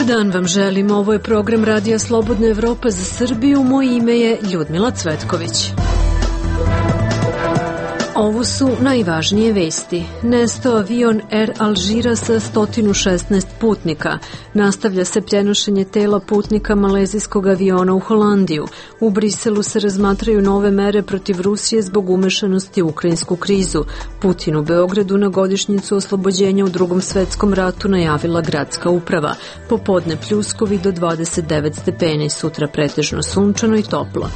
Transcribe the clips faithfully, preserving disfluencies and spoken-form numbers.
dan vam želim. Ovo je program Radija Slobodna Evropa za Srbiju. Moje ime je Ljudmila Cvetković. Ovo su najvažnije vesti. Nestao avion Air Alžira sa sto šesnaest putnika. Nastavlja se prenošenje tela putnika malezijskog aviona u Holandiju. U Briselu se razmatraju nove mere protiv Rusije zbog umešanosti u ukrajinsku krizu. Putin u Beogradu na godišnjicu oslobođenja u Drugom svetskom ratu najavila gradska uprava. Popodne pljuskovi do dvadeset devet stepeni, sutra pretežno sunčano i toplo.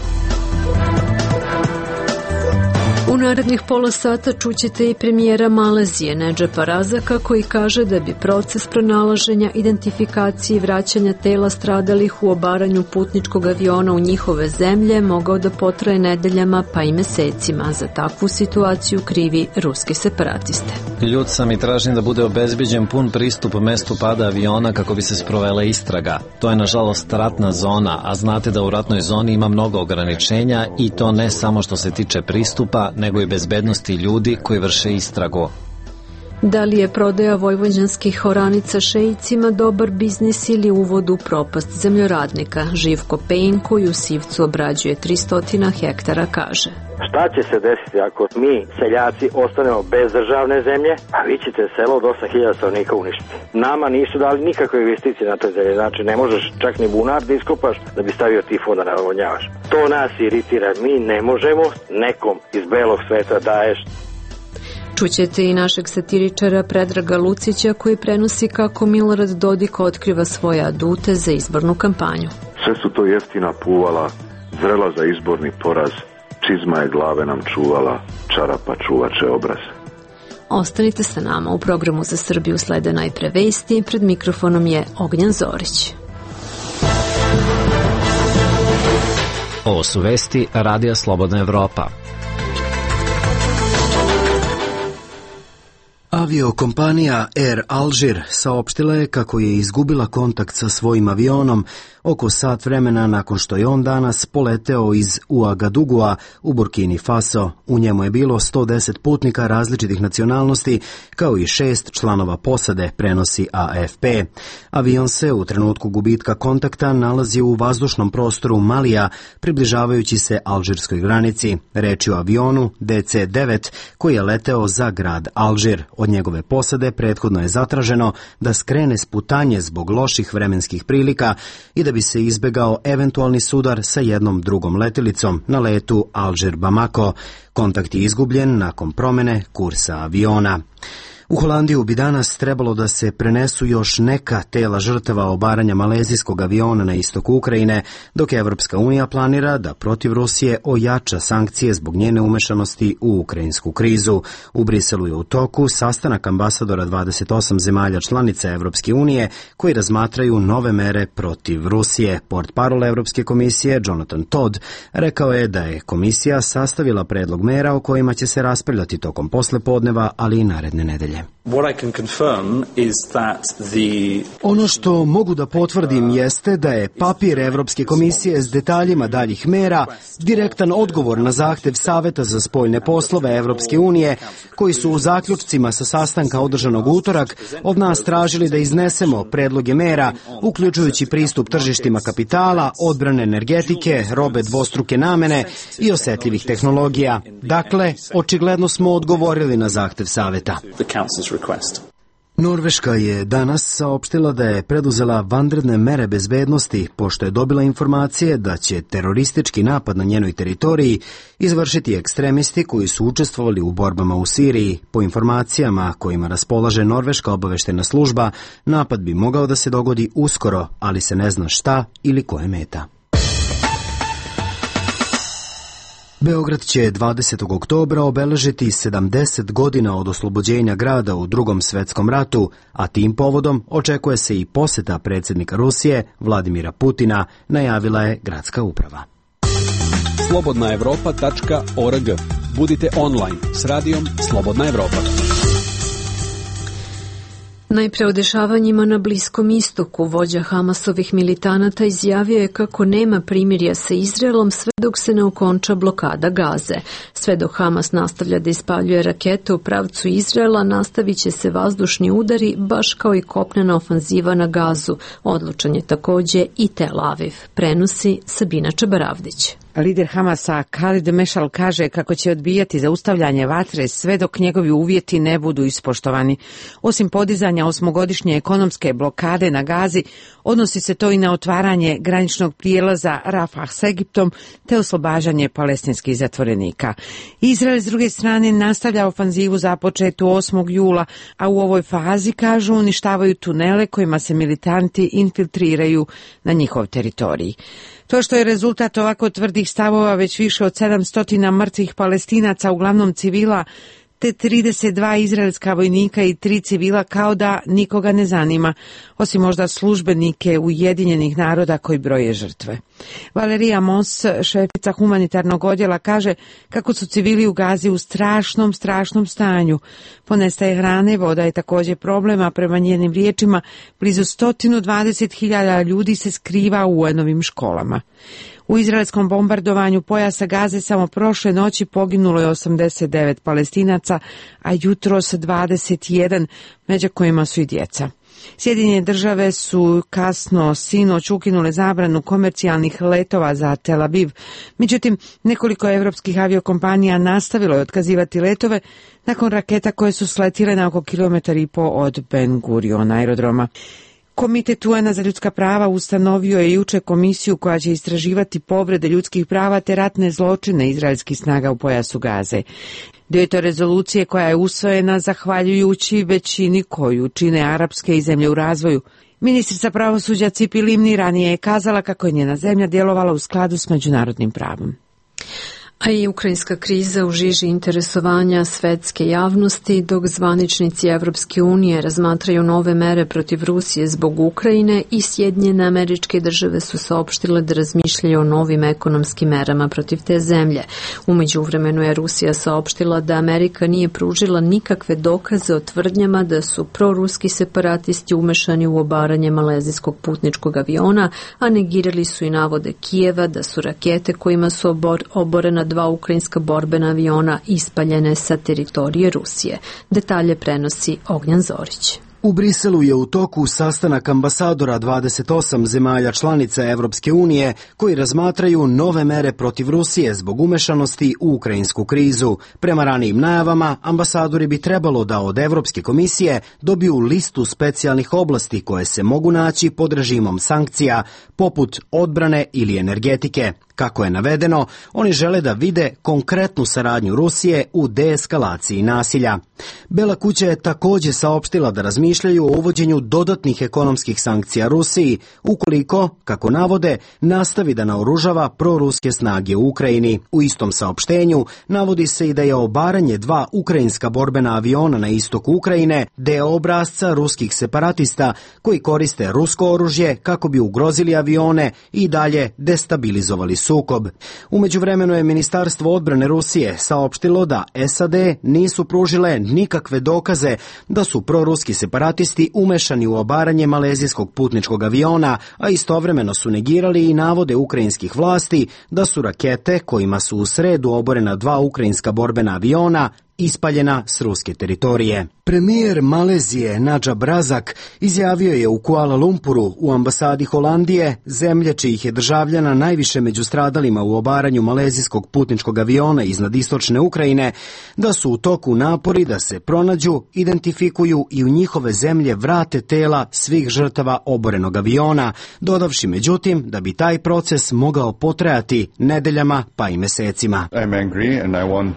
U narednih pola sata čućete i premijera Malezije Nedžepa Razaka koji kaže da bi proces pronalaženja, identifikacije i vraćanja tela stradalih u obaranju putničkog aviona u njihove zemlje mogao da potraje nedeljama pa i mesecima. Za takvu situaciju krivi ruski separatiste. Ljud sam i tražim da bude obezbeđen pun pristup mestu pada aviona kako bi se sprovela istraga. To je nažalost ratna zona, a znate da u ratnoj zoni ima mnogo ograničenja i to ne samo što se tiče pristupa, nego i bezbednosti ljudi koji vrše istragu. Da li je prodaja vojvođanskih oranica šeicima dobar biznis ili uvod u propast zemljoradnika? Živko Pejin, koji u Sivcu obrađuje tristo hektara, kaže: Šta će se desiti ako mi, seljaci, ostanemo bez državne zemlje, a vi ćete selo od osam hiljada stanovnika uništiti? Nama nisu dali nikakve investicije na toj zemlji, znači ne možeš čak ni bunar da iskopaš da bi stavio tifo da navodnjavaš. To nas iritira, mi ne možemo nekom iz belog sveta daješ. Čućete i našeg satiričara Predraga Lucića koji prenosi kako Milorad Dodik otkriva svoje adute za izbornu kampanju. Sve su to jeftina puvala, zrela za izborni poraz, čizma je glave nam čuvala, čarapa čuvače obraz. Ostanite sa nama, u programu za Srbiju slede najpre vesti, pred mikrofonom je Ognjan Zorić. Ovo su vesti Radija Slobodna Evropa. Aviokompanija Air Alžir saopštila je kako je izgubila kontakt sa svojim avionom oko sat vremena nakon što je on danas poleteo iz Uagadugua u Burkini Faso. U njemu je bilo sto deset putnika različitih nacionalnosti kao i šest članova posade, prenosi A F P. Avion se u trenutku gubitka kontakta nalazi u vazdušnom prostoru Malija, približavajući se alžirskoj granici. Reč je o avionu D C devet koji je leteo za grad Alžir. Od njegove posade prethodno je zatraženo da skrene s putanje zbog loših vremenskih prilika i da bi se izbegao eventualni sudar sa jednom drugom letjelicom na letu Alžir-Bamako. Kontakt je izgubljen nakon promene kursa aviona. U Holandiju bi danas trebalo da se prenesu još neka tela žrtava obaranja malezijskog aviona na istoku Ukrajine, dok Evropska unija planira da protiv Rusije ojača sankcije zbog njene umešanosti u ukrajinsku krizu. U Briselu je u toku sastanak ambasadora dvadeset osam zemalja članica Evropske unije koji razmatraju nove mere protiv Rusije. Portparol Evropske komisije Jonathan Todd rekao je da je komisija sastavila predlog mera o kojima će se raspravljati tokom poslepodneva, ali i naredne nedelje. Ono što mogu da potvrdim jeste da je papir Evropske komisije s detaljima daljih mera direktan odgovor na zahtev Saveta za spoljne poslove Evropske unije, koji su u zaključcima sa sastanka održanog utorak od nas tražili da iznesemo predloge mera, uključujući pristup tržištima kapitala, odbrane energetike, robe dvostruke namene i osetljivih tehnologija. Dakle, očigledno smo odgovorili na zahtev Saveta. Norveška je danas saopštila da je preduzela vanredne mere bezbednosti pošto je dobila informacije da će teroristički napad na njenoj teritoriji izvršiti ekstremisti koji su učestvovali u borbama u Siriji. Po informacijama kojima raspolaže norveška obaveštajna služba, napad bi mogao da se dogodi uskoro, ali se ne zna šta ili ko je meta. Beograd će dvadesetog oktobra obeležiti sedamdeset godina od oslobođenja grada u Drugom svetskom ratu, a tim povodom očekuje se i poseta predsjednika Rusije Vladimira Putina, najavila je gradska uprava. slobodna evropa tačka org. Budite online s radijom Slobodna Evropa. Najpre o dešavanjima na Bliskom istoku, vođa Hamasovih militanata izjavio je kako nema primirja sa Izraelom sve dok se ne okonča blokada Gaze. Sve dok Hamas nastavlja da ispaljuje rakete u pravcu Izraela, nastavit će se vazdušni udari, baš kao i kopnena ofanziva na Gazu. Odlučan je takođe i Tel Aviv. Prenosi Sabina Čabaravdić. Lider Hamasa Khalid Mešal kaže kako će odbijati zaustavljanje vatre sve dok njegovi uvjeti ne budu ispoštovani. Osim podizanja osmogodišnje ekonomske blokade na Gazi, odnosi se to i na otvaranje graničnog prijelaza Rafah s Egiptom te oslobađanje palestinskih zatvorenika. Izrael s druge strane nastavlja ofanzivu započetu osmog jula, a u ovoj fazi, kažu, uništavaju tunele kojima se militanti infiltriraju na njihov teritorij. To što je rezultat ovako tvrdih stavova već više od sedamsto mrtvih Palestinaca, uglavnom civila, te trideset dva izraelska vojnika i tri civila, kao da nikoga ne zanima, osim možda službenike Ujedinjenih naroda koji broje žrtve. Valerija Mos, šefica humanitarnog odjela, kaže kako su civili u Gazi u strašnom, strašnom stanju. Ponestaje hrane, voda je također problem, a prema njenim riječima blizu sto dvadeset hiljada ljudi se skriva u U N-ovim školama. U izraelskom bombardovanju pojasa Gaze samo prošle noći poginulo je osamdeset devet Palestinaca, a jutros dvadeset jedan, među kojima su i djeca. Sjedinjene države su kasno sinoć ukinule zabranu komercijalnih letova za Tel Aviv. Međutim, nekoliko evropskih aviokompanija nastavilo je otkazivati letove nakon raketa koje su sletile na oko kilometar i po od Ben Gurion aerodroma. Komitet U N-a za ljudska prava ustanovio je juče komisiju koja će istraživati povrede ljudskih prava te ratne zločine izraelskih snaga u pojasu Gaze. Dio je to rezolucije koja je usvojena zahvaljujući većini koju čine arapske i zemlje u razvoju. Ministrica pravosuđa Cipi Livni ranije je kazala kako je njena zemlja djelovala u skladu s međunarodnim pravom. A i ukrajinska kriza u žiži interesovanja svetske javnosti, dok zvaničnici Evropske unije razmatraju nove mere protiv Rusije zbog Ukrajine, i Sjedinjene Američke Države su saopštile da razmišljaju o novim ekonomskim merama protiv te zemlje. U međuvremenu je Rusija saopštila da Amerika nije pružila nikakve dokaze o tvrdnjama da su proruski separatisti umešani u obaranje malezijskog putničkog aviona, a negirali su i navode Kijeva da su rakete kojima su obor, oborena dva ukrajinska borbena aviona ispaljene sa teritorije Rusije. Detalje prenosi Ognjan Zorić. U Briselu je u toku sastanak ambasadora dvadeset osam zemalja članica Evropske unije koji razmatraju nove mere protiv Rusije zbog umešanosti u ukrajinsku krizu. Prema ranijim najavama, ambasadori bi trebalo da od Evropske komisije dobiju listu specijalnih oblasti koje se mogu naći pod režimom sankcija, poput odbrane ili energetike. Kako je navedeno, oni žele da vide konkretnu saradnju Rusije u deeskalaciji nasilja. Bela kuća je također saopštila da razmišljaju o uvođenju dodatnih ekonomskih sankcija Rusiji, ukoliko, kako navode, nastavi da naoružava proruske snage u Ukrajini. U istom saopštenju navodi se i da je obaranje dva ukrajinska borbena aviona na istoku Ukrajine deo obrasca ruskih separatista koji koriste rusko oružje kako bi ugrozili avione i dalje destabilizovali sukob. U međuvremenu je Ministarstvo odbrane Rusije saopštilo da S A D nisu pružile nikakve dokaze da su proruski separatisti umešani u obaranje malezijskog putničkog aviona, a istovremeno su negirali i navode ukrajinskih vlasti da su rakete kojima su u sredu oborena dva ukrajinska borbena aviona ispaljena s ruske teritorije. Premijer Malezije Najib Razak izjavio je u Kuala Lumpuru u ambasadi Holandije, zemlje čijih je državljana najviše među stradalima u obaranju malezijskog putničkog aviona iznad istočne Ukrajine, da su u toku napori da se pronađu, identifikuju i u njihove zemlje vrate tela svih žrtava oborenog aviona, dodavši međutim da bi taj proces mogao potrajati nedeljama pa i mesecima.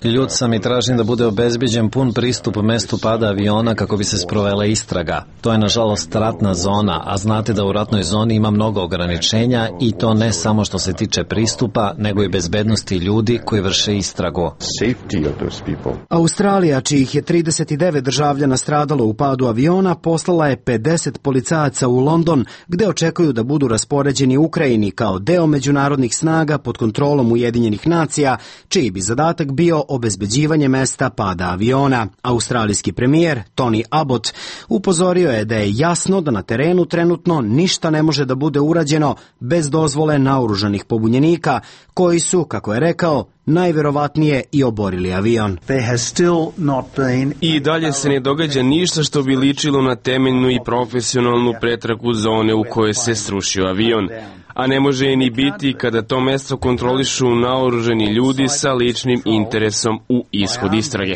Ljud sam i tražim da bude obezbeđen pun pristup mestu pada aviona kako bi se sprovela istraga. To je nažalost ratna zona, a znate da u ratnoj zoni ima mnogo ograničenja i to ne samo što se tiče pristupa, nego i bezbednosti ljudi koji vrše istragu. Australija, čijih je trideset devet državljana stradalo u padu aviona, poslala je pedeset policajaca u London, gde očekuju da budu raspoređeni u Ukrajini kao deo međunarodnih snaga pod kontrolom Ujedinjenih nacija, čiji bi zadatak bio obezbeđivanje mesta pada aviona. Australijski premijer Tony Abbott upozorio je da je jasno da na terenu trenutno ništa ne može da bude urađeno bez dozvole naoružanih pobunjenika, koji su, kako je rekao, najverovatnije i oborili avion. I dalje se ne događa ništa što bi ličilo na temeljnu i profesionalnu pretragu zone u kojoj se srušio avion. A ne može i ni biti kada to mesto kontrolišu naoružani ljudi sa ličnim interesom u ishod istrage.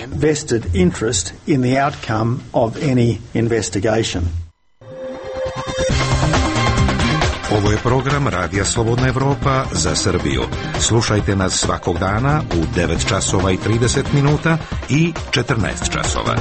Ovo je program Radija Slobodna Evropa za Srbiju. Slušajte nas svakog dana u devet časova i trideset minuta i četrnaest časova.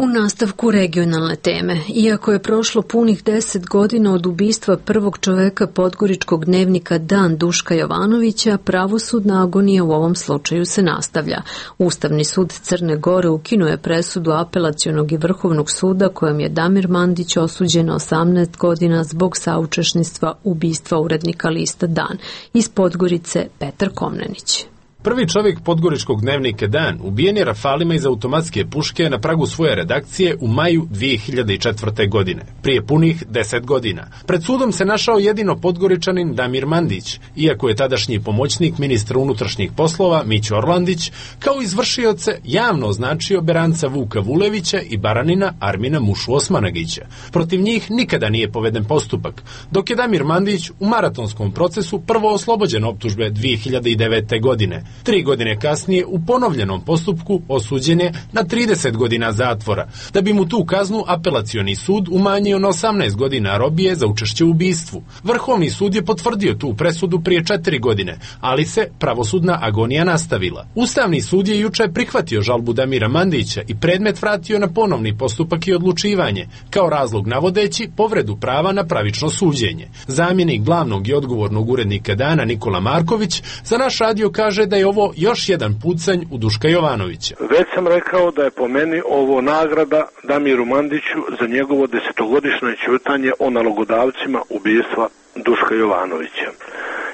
U nastavku regionalne teme, iako je prošlo punih deset godina od ubistva prvog čoveka podgoričkog dnevnika Dan Duška Jovanovića, pravosudna agonija u ovom slučaju se nastavlja. Ustavni sud Crne Gore ukinuo je presudu Apelacionog i Vrhovnog suda kojom je Damir Mandić osuđen na osamnaest godina zbog saučesništva ubistva urednika lista Dan. Iz Podgorice Petar Komnenić. Prvi čovjek podgoričkog dnevnika Dan ubijen je rafalima iz automatske puške na pragu svoje redakcije u maju dvije hiljade četvrte. godine, prije punih deset godina. Pred sudom se našao jedino podgoričanin Damir Mandić, iako je tadašnji pomoćnik ministra unutrašnjih poslova Mićo Orlandić kao izvršioce javno označio Beranca Vuka Vulevića i Baranina Armina Mušu Osmanagića. Protiv njih nikada nije poveden postupak, dok je Damir Mandić u maratonskom procesu prvo oslobođen optužbe dvije hiljade devete. godine. Tri godine kasnije u ponovljenom postupku osuđen je na trideset godina zatvora, da bi mu tu kaznu apelacioni sud umanjio na osamnaest godina robije za učešće u ubistvu. Vrhovni sud je potvrdio tu presudu prije četiri godine, ali se pravosudna agonija nastavila. Ustavni sud je juče prihvatio žalbu Damira Mandića i predmet vratio na ponovni postupak i odlučivanje, kao razlog navodeći povredu prava na pravično suđenje. Zamjenik glavnog i odgovornog urednika Dana Nikola Marković za naš radio kaže da je ovo još jedan pucanj u Duška Jovanovića. Već sam rekao da je po meni ovo nagrada Damiru Mandiću za njegovo desetogodišnje ćutanje o nalogodavcima ubistva Duška Jovanovića.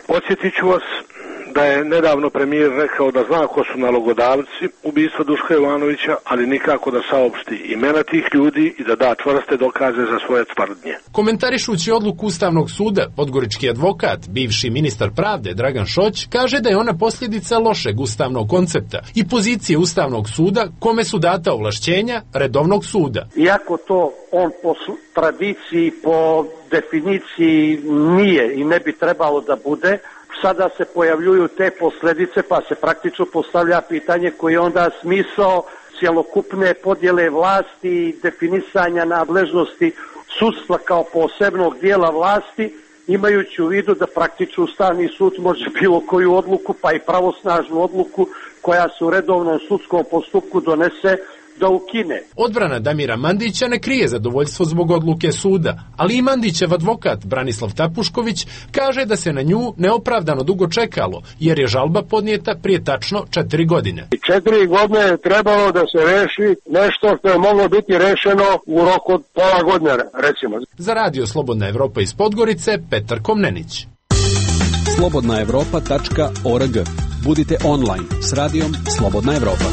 Podsjetit ću vas da je nedavno premijer rekao da zna ko su nalogodavci ubistva Duška Jovanovića, ali nikako da saopšti imena tih ljudi i da da čvrste dokaze za svoje tvrdnje. Komentarišući odluku Ustavnog suda, podgorički advokat, bivši ministar pravde Dragan Šoć, kaže da je ona posljedica lošeg ustavnog koncepta i pozicije Ustavnog suda kome su data ovlašćenja redovnog suda. Iako to on po tradiciji, po definiciji nije i ne bi trebalo da bude, sada se pojavljuju te posljedice, pa se praktično postavlja pitanje koji je onda smisao cjelokupne podjele vlasti i definisanja nadležnosti sudstva kao posebnog dijela vlasti, imajući u vidu da praktično Ustavni sud može bilo koju odluku, pa i pravosnažnu odluku koja se u redovnom sudskom postupku donese, da ukine. Odbrana Damira Mandića ne krije zadovoljstvo zbog odluke suda, ali i Mandićev advokat Branislav Tapušković kaže da se na nju neopravdano dugo čekalo, jer je žalba podnijeta prije tačno četiri godine. Četiri godine je trebalo da se reši nešto što je moglo biti rešeno u roku od pola godine, recimo. Za Radio Slobodna Evropa iz Podgorice, Petar Komnenić. slobodna evropa tačka org. Budite online s radijom Slobodna Evropa.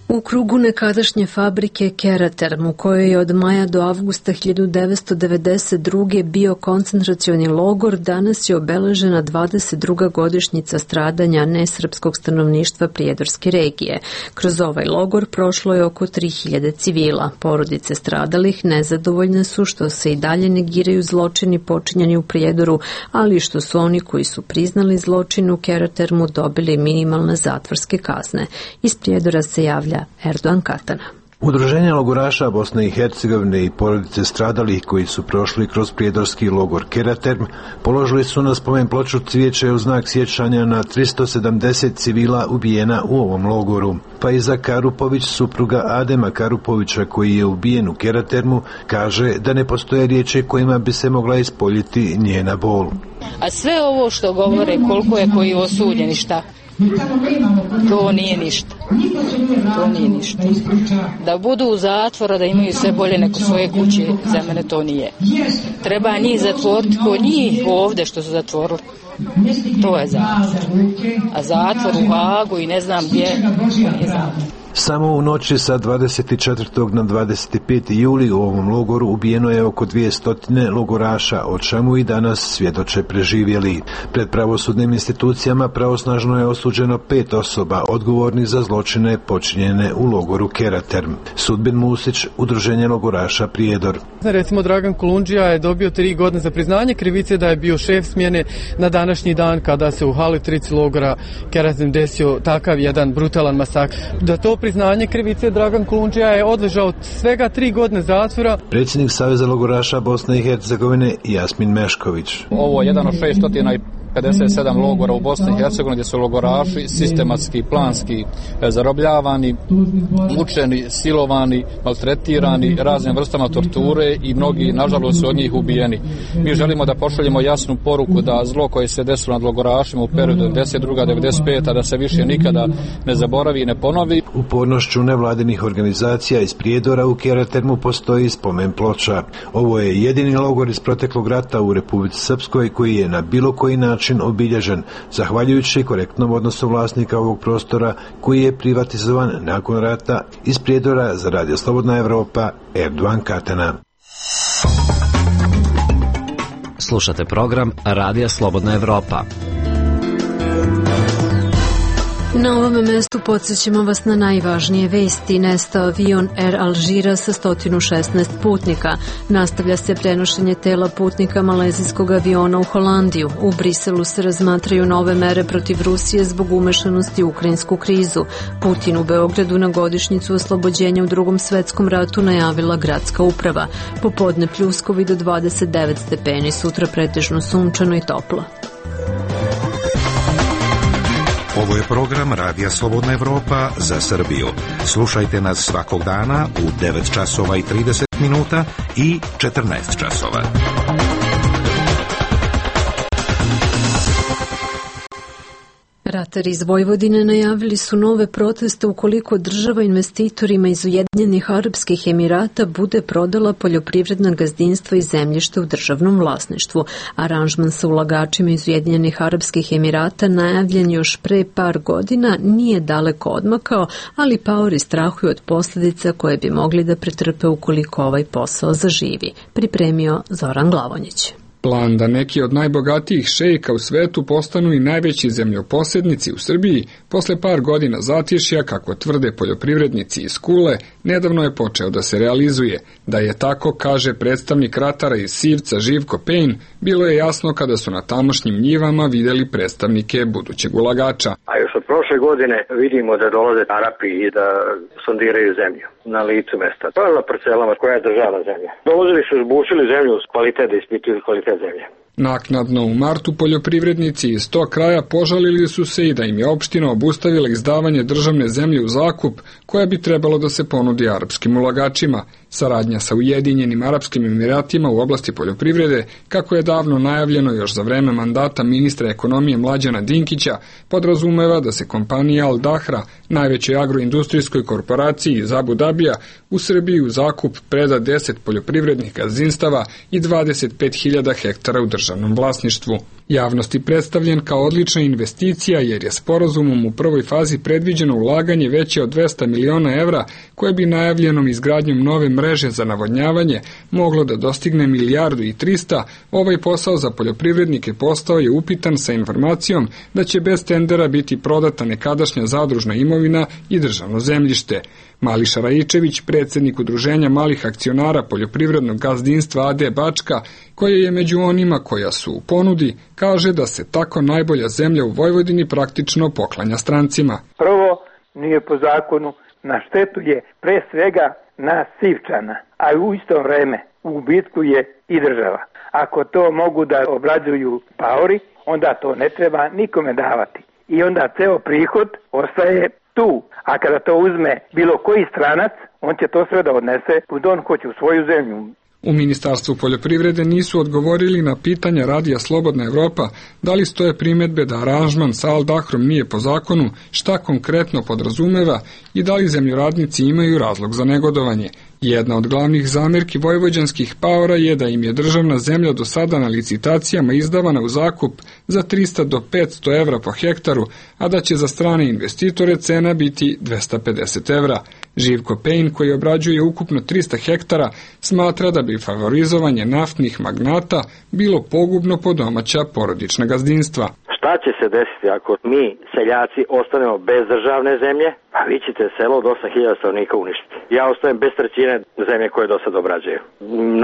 U krugu nekadašnje fabrike Keraterm, u kojoj je od maja do avgusta hiljadu devetsto devedeset druge. bio koncentracioni logor, danas je obeležena dvadeset druga godišnjica stradanja nesrpskog stanovništva prijedorske regije. Kroz ovaj logor prošlo je oko tri hiljade civila. Porodice stradalih nezadovoljne su što se i dalje negiraju zločini počinjeni u Prijedoru, ali što su oni koji su priznali zločin u Keratermu dobili minimalne zatvorske kazne. Iz Prijedora se javlja Erdogan Katana. Udruženja logoraša Bosne i Hercegovine i porodice stradalih koji su prošli kroz prijedorski logor Keraterm položili su na spomen ploču cvijeće u znak sjećanja na tristo sedamdeset civila ubijena u ovom logoru. Faiza Karupović, supruga Adema Karupovića koji je ubijen u Keratermu, kaže da ne postoje riječi kojima bi se mogla ispoljiti njena bol. A sve ovo što govore koliko je koji osuđeni šta, To nije ništa. To nije ništa. Da budu u zatvora, da imaju sve bolje neko svoje kuće, za mene to nije. Treba njih zatvoriti ko njih ovde što su zatvorili. To je zatvor. A zatvor u Hagu i ne znam gdje, nije zatvor. Samo u noći sa dvadeset četvrtog na dvadeset peti juli u ovom logoru ubijeno je oko dvjesto logoraša, o čemu i danas svjedoče preživjeli. Pred pravosudnim institucijama pravosnažno je osuđeno pet osoba odgovornih za zločine počinjene u logoru Keraterm. Sudbin Musić, Udruženje logoraša Prijedor. Recimo Dragan Kolundžija je dobio tri godine za priznanje krivice da je bio šef smjene na današnji dan kada se u Halitrici logora Keraterm desio takav jedan brutalan masakr. Da to priznanje krivice Dragan Kolundžija je odležao svega tri godine zatvora. Predsjednik Saveza logoraša Bosne i Hercegovine Jasmin Mešković. Ovo je jedan od šeststo pedeset sedam logora u Bosni i Hercegovini gdje su logoraši sistematski, planski zarobljavani, mučeni, silovani, maltretirani raznim vrstama torture i mnogi, nažalost, su od njih ubijeni. Mi želimo da pošaljemo jasnu poruku da zlo koje se desilo nad logorašima u periodu devedeset druga do devedeset peta da se više nikada ne zaboravi i ne ponovi. Upornošću nevladinih organizacija iz Prijedora u Keratermu postoji spomen ploča. Ovo je jedini logor iz proteklog rata u Republici Srpskoj koji je na bilo koji način obilježen, zahvaljujući korektnom odnosu vlasnika ovog prostora koji je privatizovan nakon rata. Iz Prijedora za Radio Slobodna Evropa, Erdovan Katana. Slušate program Radija Slobodna Evropa. Na ovome mestu podsjećamo vas na najvažnije vesti. Nestao avion Air Alžira sa sto šesnaest putnika. Nastavlja se prenošenje tela putnika malezijskog aviona u Holandiju. U Briselu se razmatraju nove mere protiv Rusije zbog umešanosti u ukrajinsku krizu. Putin u Beogradu na godišnjicu oslobođenja u Drugom svetskom ratu najavila gradska uprava. Popodne pljuskovi do dvadeset devet stepeni, sutra pretežno sunčano i toplo. Ovo je program Radija Slobodna Evropa za Srbiju. Slušajte nas svakog dana u devet časova i trideset minuta i četrnaest časova. Ratari iz Vojvodine najavili su nove proteste ukoliko država investitorima iz Ujedinjenih Arapskih Emirata bude prodala poljoprivredna gazdinstva i zemljište u državnom vlasništvu. Aranžman sa ulagačima iz Ujedinjenih Arapskih Emirata najavljen još pre par godina nije daleko odmakao, ali paori strahuju od posljedica koje bi mogli da pretrpe ukoliko ovaj posao zaživi. Pripremio Zoran Glavonjić. Plan da neki od najbogatijih šejka u svetu postanu i najveći zemljoposjednici u Srbiji posle par godina zatišja, kako tvrde poljoprivrednici iz Kule, nedavno je počeo da se realizuje. Da je tako, kaže predstavnik ratara iz Sivca Živko Pejn, bilo je jasno kada su na tamošnjim njivama vidjeli predstavnike budućeg ulagača. A još od prošle godine vidimo da dolaze Arapi i da sondiraju zemlju na licu mesta. To je na parcelama koja je državna zemlja. Dolazili su, zbušili zemlju uz kvalitet, da ispituju kvalitet zemlje. Naknadno u martu poljoprivrednici iz tog kraja požalili su se i da im je opština obustavila izdavanje državne zemlje u zakup koja bi trebalo da se ponudi arapskim ulagačima. Saradnja sa Ujedinjenim Arapskim Emiratima u oblasti poljoprivrede, kako je davno najavljeno još za vreme mandata ministra ekonomije Mlađana Dinkića, podrazumeva da se kompanija Al Dahra, najvećoj agroindustrijskoj korporaciji iz Abu Dabija, u Srbiji u zakup preda deset poljoprivrednih gazdinstava i dvadeset pet hiljada hektara u državnom vlasništvu. Javnosti predstavljen kao odlična investicija jer je sporazumom u prvoj fazi predviđeno ulaganje veće od dvesta miliona evra koje bi najavljenom izgradnjom nove mreže za navodnjavanje moglo da dostigne milijardu i trista. Ovaj posao za poljoprivrednike postao je upitan sa informacijom da će bez tendera biti prodata nekadašnja zadružna imovina i državno zemljište. Mališa Rajičević, predsjednik Udruženja malih akcionara poljoprivrednog gazdinstva A D Bačka, koje je među onima koja su u ponudi, kaže da se tako najbolja zemlja u Vojvodini praktično poklanja strancima. Prvo, nije po zakonu, na štetu je pre svega nas Sivčana, a u isto vreme u gubitku je i država. Ako to mogu da obrađuju paori, onda to ne treba nikome davati. I onda ceo prihod ostaje tu. A kada to uzme bilo koji stranac, on će to sve da odnese u on hoće u svoju zemlju. U Ministarstvu poljoprivrede nisu odgovorili na pitanja Radija Slobodna Evropa da li stoje primedbe da aranžman sa Al Dahrom nije po zakonu, šta konkretno podrazumeva i da li zemljoradnici imaju razlog za negodovanje. Jedna od glavnih zamerki vojvođanskih paora je da im je državna zemlja do sada na licitacijama izdavana u zakup za trista do petsto evra po hektaru, a da će za strane investitore cena biti dvesta pedeset evra. Živko Pejn, koji obrađuje ukupno trista hektara, smatra da bi favorizovanje naftnih magnata bilo pogubno po domaća porodična gazdinstva. Šta će se desiti ako mi, seljaci, ostanemo bez državne zemlje, a vi ćete selo od osam hiljada stanovnika uništiti. Ja ostajem bez trećine zemlje koje do sad obrađuju.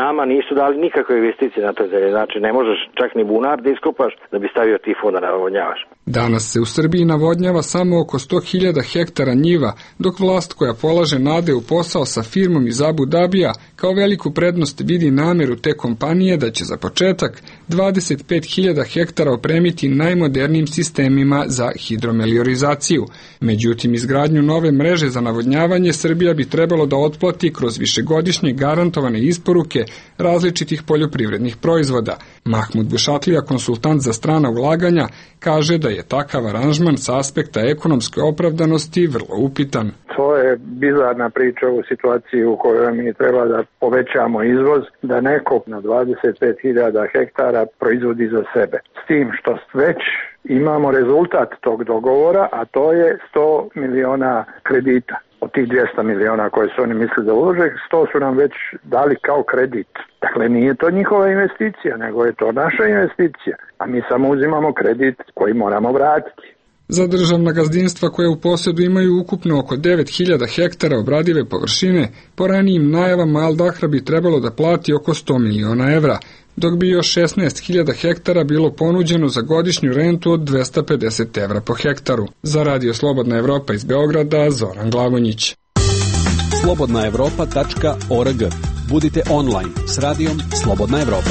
Nama nisu dali nikakve investicije na toj zemlji, znači ne možeš čak ni bunar da iskopaš da bi stavio tifon da navodnjavaš. Danas se u Srbiji navodnjava samo oko sto hiljada hektara njiva, dok vlast koja polaže nade u posao sa firmom iz Abu Dabija kao veliku prednost vidi nameru te kompanije da će za početak dvadeset pet hiljada hektara opremiti najmodernijim sistemima za hidromeliorizaciju. Međutim, izgradnju nove mreže za navodnjavanje Srbija bi trebalo da otplati kroz višegodišnje garantovane isporuke različitih poljoprivrednih proizvoda. Mahmud Bušatlija, konsultant za strana ulaganja, kaže da je takav aranžman sa aspekta ekonomske opravdanosti vrlo upitan. To je bizarna priča u situaciji u kojoj mi treba da povećamo izvoz, da neko na dvadeset pet hiljada hektara proizvodi za sebe. S tim što već imamo rezultat tog dogovora, a to je sto miliona kredita. Od tih dvesta miliona koje su oni mislili da ulože, sto su nam već dali kao kredit. Dakle, nije to njihova investicija, nego je to naša investicija, a mi samo uzimamo kredit koji moramo vratiti. Za državna gazdinstva koje u posjedu imaju ukupno oko devet hiljada hektara obradive površine, po ranijim najavama Al Dahra bi trebalo da plati oko sto miliona evra, dok bi još šesnaest hiljada hektara bilo ponuđeno za godišnju rentu od dvesta pedeset evra po hektaru. Za Radio Slobodna Evropa iz Beograda, Zoran Glagonić. slobodna evropa tačka org. Budite online s radijom Slobodna Evropa.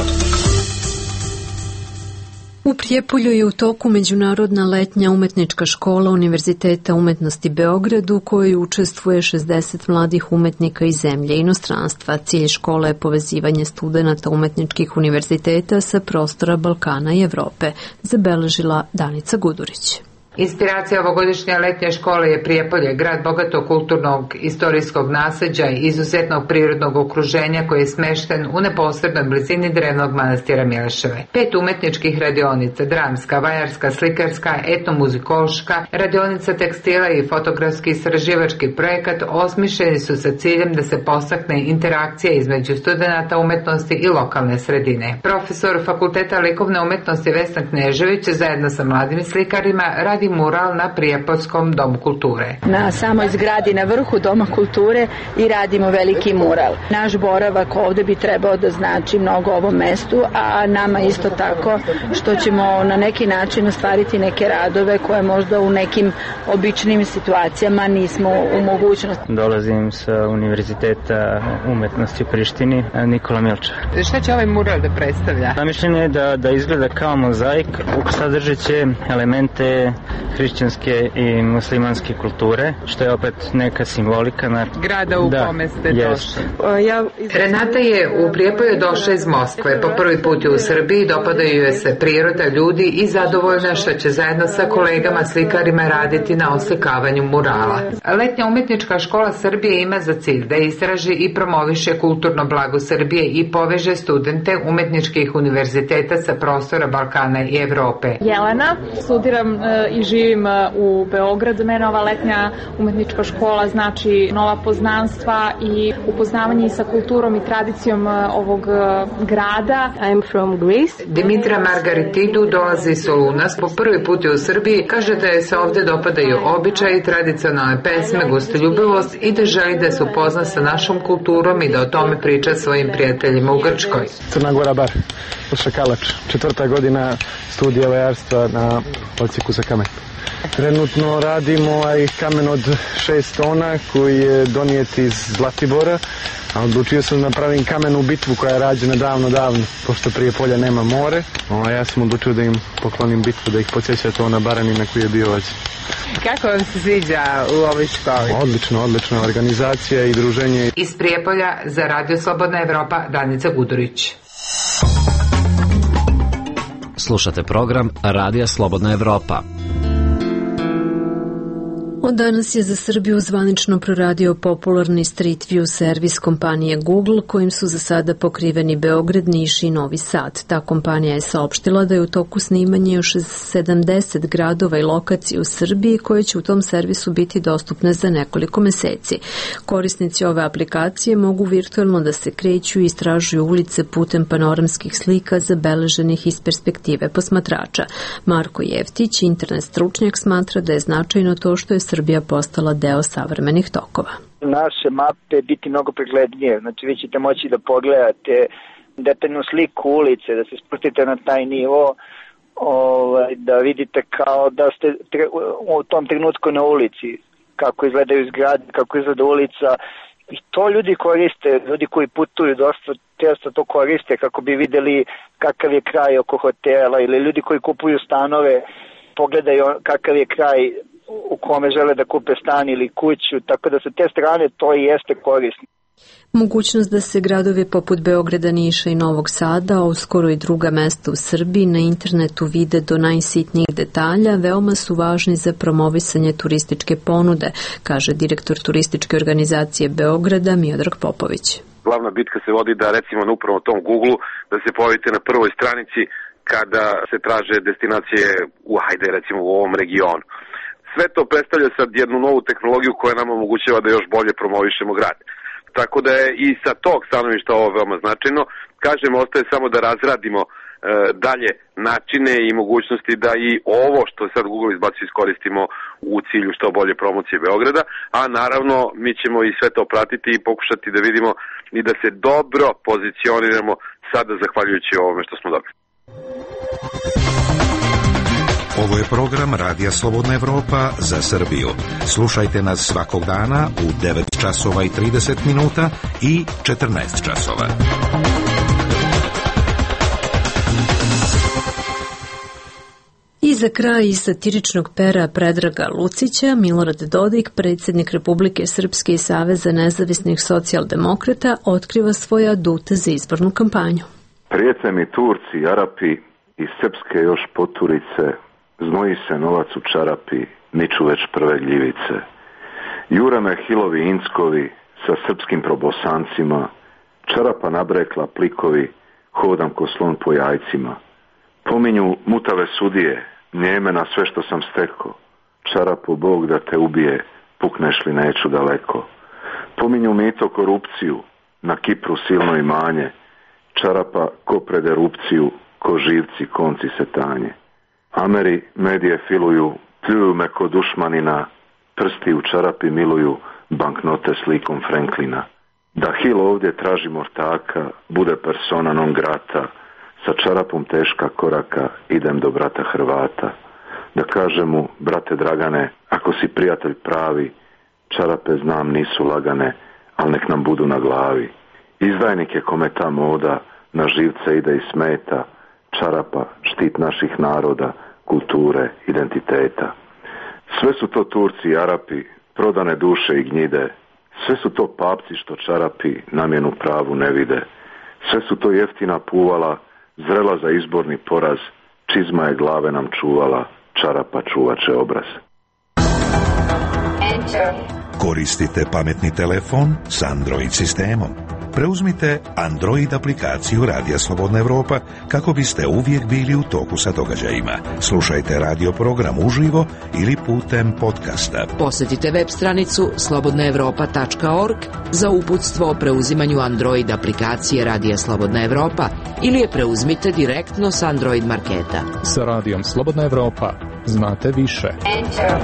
U Prijepolju je u toku Međunarodna letnja umetnička škola Univerziteta umetnosti Beograd u kojoj učestvuje šezdeset mladih umetnika iz zemlje i inostranstva. Cilj škole je povezivanje studenata umetničkih univerziteta sa prostora Balkana i Evrope, zabeležila Danica Gudurić. Inspiracija ovogodišnje letnje škole je Prijepolje, grad bogatog kulturnog, istorijskog nasleđa i izuzetnog prirodnog okruženja koji je smešten u neposrednoj blizini drevnog manastira Mileševe. Pet umetničkih radionica, dramska, vajarska, slikarska, etnomuzikološka, radionica tekstila i fotografski istraživački projekat osmišljeni su sa ciljem da se podstakne interakcija između studenata umetnosti i lokalne sredine. Profesor Fakulteta likovne umetnosti Vesna Knežević zajedno sa mladim slikarima radi mural na Prijepoljskom domu kulture. Na samoj zgradi na vrhu doma kulture i radimo veliki mural. Naš boravak ovde bi trebao da znači mnogo ovom mestu, a nama isto tako što ćemo na neki način ostvariti neke radove koje možda u nekim običnim situacijama nismo u mogućnosti. Dolazim sa Univerziteta umetnosti u Prištini, Nikola Milča. Šta će ovaj mural da predstavlja? Zamišljen je da, da izgleda kao mozaik, sadržeće elemente hrišćanske i muslimanske kulture, što je opet neka simbolika na grada u da, kome ste došli. Ja... Renata je u Prijepolju došla iz Moskve. Po prvi put je u Srbiji, dopadaju joj se priroda, ljudi i zadovoljna što će zajedno sa kolegama slikarima raditi na oslikavanju murala. Letnja umetnička škola Srbije ima za cilj da istraži i promoviše kulturno blago Srbije i poveže studente umetničkih univerziteta sa prostora Balkana i Evrope. Jelena, studiram i živim u Beogradu. Mene ova letnja umetnička škola znači nova poznanstva i upoznavanje sa kulturom i tradicijom ovog grada. I'm from Greece. Dimitra Margaritidu dolazi iz Solunas, po prvi put je u Srbiji, kaže da je se ovde dopadaju običaji, tradicionalne pesme, gostoljubivost i da želi da se upozna sa našom kulturom i da o tome priča svojim prijateljima u Grčkoj. Crna Gora bar, Šakalač, četvrta godina studija vajarstva na odsjeku za kamen. Trenutno radimo ovaj kamen od šest tona koji je donijet iz Zlatibora A odlučio sam da napravim kamenu bitvu koja je rađena davno, davno, pošto prije polja nema more. O, ja sam odlučio da im poklonim bitvu, da ih podsjeća to na barani na koji je bio ođe. Kako vam se sviđa u ovoj školi? Odlično, odlično. Organizacija i druženje. Iz Prijepolja za Radio Slobodna Evropa, Danica Gudurić. Slušate program Radija Slobodna Evropa. Od danas je za Srbiju zvanično proradio popularni Street View servis kompanije Google, kojim su za sada pokriveni Beograd, Niš i Novi Sad. Ta kompanija je saopštila da je u toku snimanje još sedamdeset gradova i lokacija u Srbiji koje će u tom servisu biti dostupne za nekoliko meseci. Korisnici ove aplikacije mogu virtualno da se kreću i istražuju ulice putem panoramskih slika zabeleženih iz perspektive posmatrača. Marko Jeftić, internet stručnjak, smatra da je značajno to što je Srbija postala deo savremenih tokova. Naše mape biti mnogo preglednije, znači vi ćete moći da pogledate detaljnu sliku ulice, da se spustite na taj nivo, ovaj, da vidite kao da ste u tom trenutku na ulici, kako izgledaju zgrade, kako izgleda ulica. I to ljudi koriste, ljudi koji putuju dosta često to koriste kako bi videli kakav je kraj oko hotela, ili ljudi koji kupuju stanove pogledaju kakav je kraj u kome žele da kupe stan ili kuću, tako da sa te strane to i jeste korisno. Mogućnost da se gradovi poput Beograda, Niša i Novog Sada, a uskoro i druga mesta u Srbiji, na internetu vide do najsitnijih detalja, veoma su važni za promovisanje turističke ponude, kaže direktor turističke organizacije Beograda Miodrag Popović. Glavna bitka se vodi da recimo na upravo tom Google da se pojavite na prvoj stranici kada se traže destinacije u, hajde recimo u ovom regionu. Sve to predstavlja sad jednu novu tehnologiju koja nam omogućava da još bolje promovišemo grad. Tako da je i sa tog stanovišta ovo veoma značajno. Kažemo, ostaje samo da razradimo e, dalje načine i mogućnosti da i ovo što sad Google izbaci iskoristimo u cilju što bolje promocije Beograda, a naravno mi ćemo i sve to pratiti i pokušati da vidimo i da se dobro pozicioniramo sada zahvaljujući ovome što smo dobili. Ovo je program Radija Slobodna Evropa za Srbiju. Slušajte nas svakog dana u devet časova i trideset minuta i četrnaest časova. I za kraj iz satiričnog pera Predraga Lucića, Milorad Dodik, predsjednik Republike Srpske i Saveza nezavisnih socijaldemokrata, otkriva svoje adute za izbornu kampanju. Prijete mi Turci, Arapi i srpske još poturice, znoji se novac u čarapi, niču već prve gljivice. Jure me hilovi inckovi sa srpskim probosancima, čarapa nabrekla plikovi, hodam ko slon po jajcima. Pominju mutave sudije, njeme na sve što sam steko, čarapu Bog da te ubije, pukneš li neću daleko. Pominju mito korupciju, na Kipru silno imanje, čarapa ko pred erupciju, ko živci konci se tanje. Ameri medije filuju, pljuju me ko dušmanina, prsti u čarapi miluju, banknote slikom Franklina. Da Hill ovdje traži mortaka, bude persona non grata, sa čarapom teška koraka idem do brata Hrvata. Da kažem mu, brate Dragane, ako si prijatelj pravi, čarape znam nisu lagane, al nek nam budu na glavi. Izdajnik je kome ta moda, na živce ide i smeta, čarapa, štit naših naroda, kulture, identiteta. Sve su to Turci i Arapi, prodane duše i gnjide, sve su to papci što čarapi namjenu pravu ne vide, sve su to jeftina puvala, zrela za izborni poraz, čizma je glave nam čuvala, čarapa čuvače obraz. Koristite pametni telefon s Android sistemom. Preuzmite Android aplikaciju Radija Slobodna Evropa kako biste uvijek bili u toku sa događajima. Slušajte radio program uživo ili putem podcasta. Posjetite web stranicu slobodna evropa tačka org za uputstvo o preuzimanju Android aplikacije Radija Slobodna Evropa ili je preuzmite direktno s Android marketa. Sa Radijom Slobodna Evropa znate više. Enter.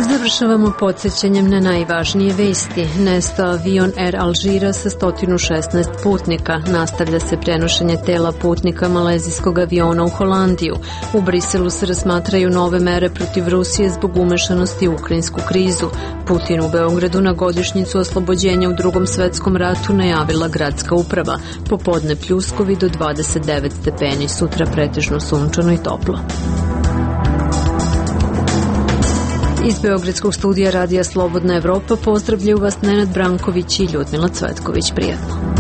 S Završavamo podsjećanjem na najvažnije vesti. Nestao avion Air Alžira sa sto šesnaest putnika. Nastavlja se prenošenje tela putnika malezijskog aviona u Holandiju. U Briselu se razmatraju nove mere protiv Rusije zbog umešanosti u ukrajinsku krizu. Putin u Beogradu na godišnjicu oslobođenja u Drugom svetskom ratu najavila gradska uprava. Popodne pljuskovi do dvadeset devet stepeni, sutra pretežno sunčano i toplo. Iz Beogradskog studija Radija Slobodna Evropa pozdravljaju vas Nenad Branković i Ljudmila Cvetković. Prijatno.